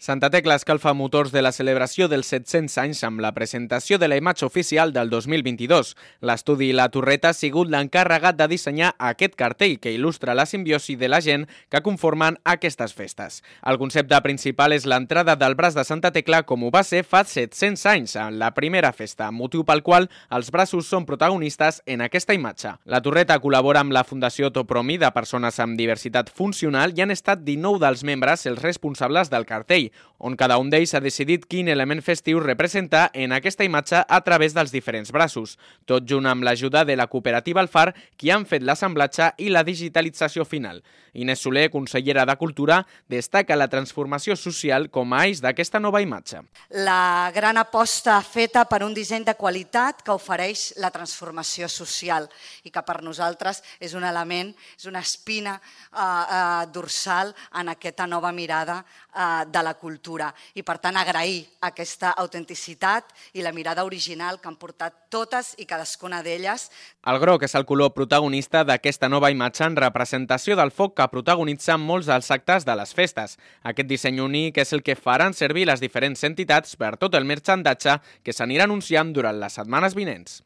Santa Tecla escalfa motors de la celebració dels 700 anys amb la presentació de la imatge oficial del 2022. L'estudi La Torreta ha sigut l'encarregat de dissenyar aquest cartell que il·lustra la simbiosi de la gent que conformen aquestes festes. El concepte principal és l'entrada del braç de Santa Tecla com ho va ser fa 700 anys, en la primera festa, motiu pel qual els braços són protagonistes en aquesta imatge. La Torreta col·labora amb la Fundació Topromi de persones amb diversitat funcional i han estat 19 dels membres els responsables del cartell, on cada un d'ells ha decidit quin element festiu representar en aquesta imatge a través dels diferents braços, tot junt amb l'ajuda de la cooperativa El Far, qui han fet l'assemblatge i la digitalització final. Inés Soler, consellera de Cultura, destaca la transformació social com a eix d'aquesta nova imatge. La gran aposta feta per un disseny de qualitat que ofereix la transformació social i que per nosaltres és un element, és una espina dorsal en aquesta nova mirada de la cultura. I per tant agrair aquesta autenticitat i la mirada original que han portat totes i cadascuna d'elles. El groc és el color protagonista d'aquesta nova imatge en representació del foc que protagonitza molts dels actes de les festes. Aquest disseny únic és el que faran servir les diferents entitats per tot el marxandatge que s'anirà anunciant durant les setmanes vinents.